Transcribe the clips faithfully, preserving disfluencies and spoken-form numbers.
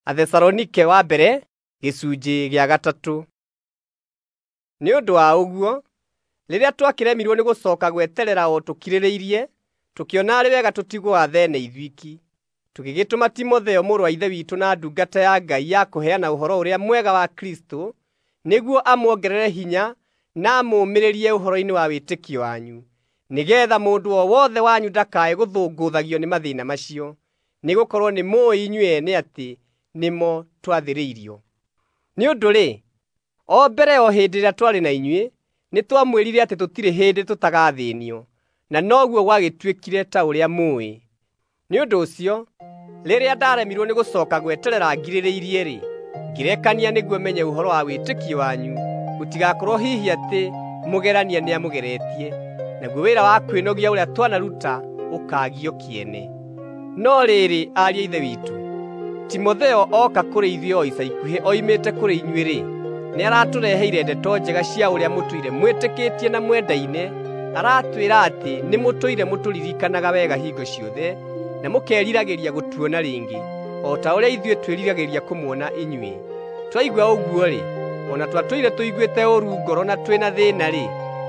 Athesalonike wa mbere gĩcunjĩ gĩa gatatũ. Nĩ ũndũ wa ũguo, rĩrĩa twakĩremirwo nĩ gũcooka gweterera o tũkirĩrĩirie, tũkĩona arĩ wega tũtigwo Athene ithuiki. Tũgĩgĩtũma Timotheo mũrũ wa Ithe witũ na ndungata ya Ngai ya kũheana Ũhoro-ũrĩa-Mwega wa Kristũ, nĩguo amuongerere hinya na amũũmĩrĩrie ũhoro-inĩ wa wĩtĩkio wanyu, nĩgeetha mũndũ o wothe wanyu ndakae gũthũngũthagio nĩ mathĩĩna macio, nĩgũkorwo nĩmũũĩ inyuĩ ene atĩ nĩmo twathĩrĩirio. Nĩ ũndũ-rĩ, o mbere o hĩndĩ ĩrĩa twarĩ na inyuĩ, nĩtwamwĩrire atĩ tũtirĩ hĩndĩ tũtagathĩĩnio, na noguo gwagĩtuĩkire ta ũrĩa mũũĩ. Nĩ ũndũ ũcio, rĩrĩa ndaremirwo nĩ gũcooka gweterera ngirĩrĩirie-rĩ, ngĩrekania nĩguo menye ũhoro wa wĩtĩkio wanyu, gũtigakorwo hihi atĩ mũgerania nĩamũgeretie, naguo wĩra wa kwĩnogia ũrĩa twanaruta ũkaagio kĩene. No rĩrĩ, ariũ a Ithe witũ, Timotheo ooka kũrĩ ithuĩ o ica ikuhĩ oimĩte kũrĩ inyuĩ-rĩ, nĩaratũreheire ndeto njega cia ũrĩa mũtũire mwĩtĩkĩtie na mwendaine. Aratwĩra atĩ nĩmũtũire mũtũririkanaga wega hingo ciothe, na mũkeriragĩria gũtuona rĩngĩ, o ta ũrĩa ithuĩ twĩriragĩria kũmuona inyuĩ. Twaigua ũguo-rĩ, o na twatũire tũiguĩte ũũru ngoro na twĩ na thĩĩna-rĩ,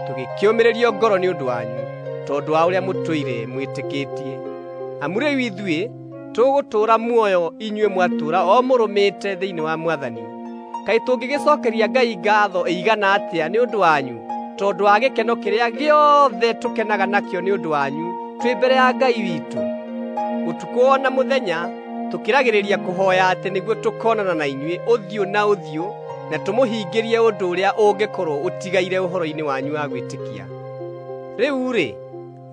tũgĩkĩũmĩrĩrio ngoro nĩ ũndũ wanyu, tondũ wa ũrĩa mũtũire mwĩtĩkĩtie. Amu rĩu ithuĩ tũgũtũũra muoyo inyuĩ mwatũũra o mũrũmĩte thĩinĩ wa Mwathani. Kaĩ tũngĩgĩcookeria Ngai ngaatho ĩigana atĩa nĩ ũndũ wanyu, tondũ wa gĩkeno kĩrĩa gĩothe tũkenaga nakĩo nĩ ũndũ wanyu twĩ mbere ya Ngai witũ? Ũtukũ o na mũthenya tũkĩragĩrĩria kũhooya atĩ nĩguo tũkoonana na inyuĩ ũthiũ na ũthiũ na tũmũhingĩrie ũndũ ũrĩa ũngĩkorwo ũtigaire ũhoro-inĩ wanyu wa gwĩtĩkia. Rĩu-rĩ,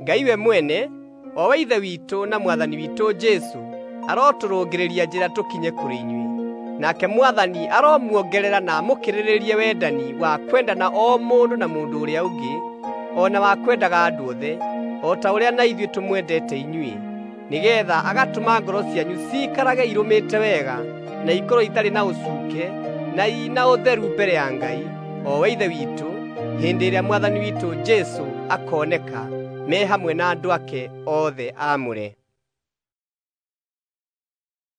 Ngai we mwene, o we Ithe witũ na Mwathani witũ Jesũ, arotũrũngĩrĩria njĩra tũkinye kũrĩ inyuĩ. Nake Mwathani aromuongerera na amũkĩrĩrĩrie wendani wa kwendana o mũndũ na mũndũ ũrĩa ũngĩ, o na wa kwendaga andũ othe, o ta ũrĩa na ithuĩ tũmwendete inyuĩ, nĩgeetha agatũma ngoro cianyu ciikarage irũmĩte wega, na ikorwo itarĩ na ũcuuke na i na ũtheru mbere ya Ngai, o we Ithe witũ, hĩndĩ ĩrĩa Mwathani witũ Jesũ akooneka me hamwe na andũ ake othe aamũre.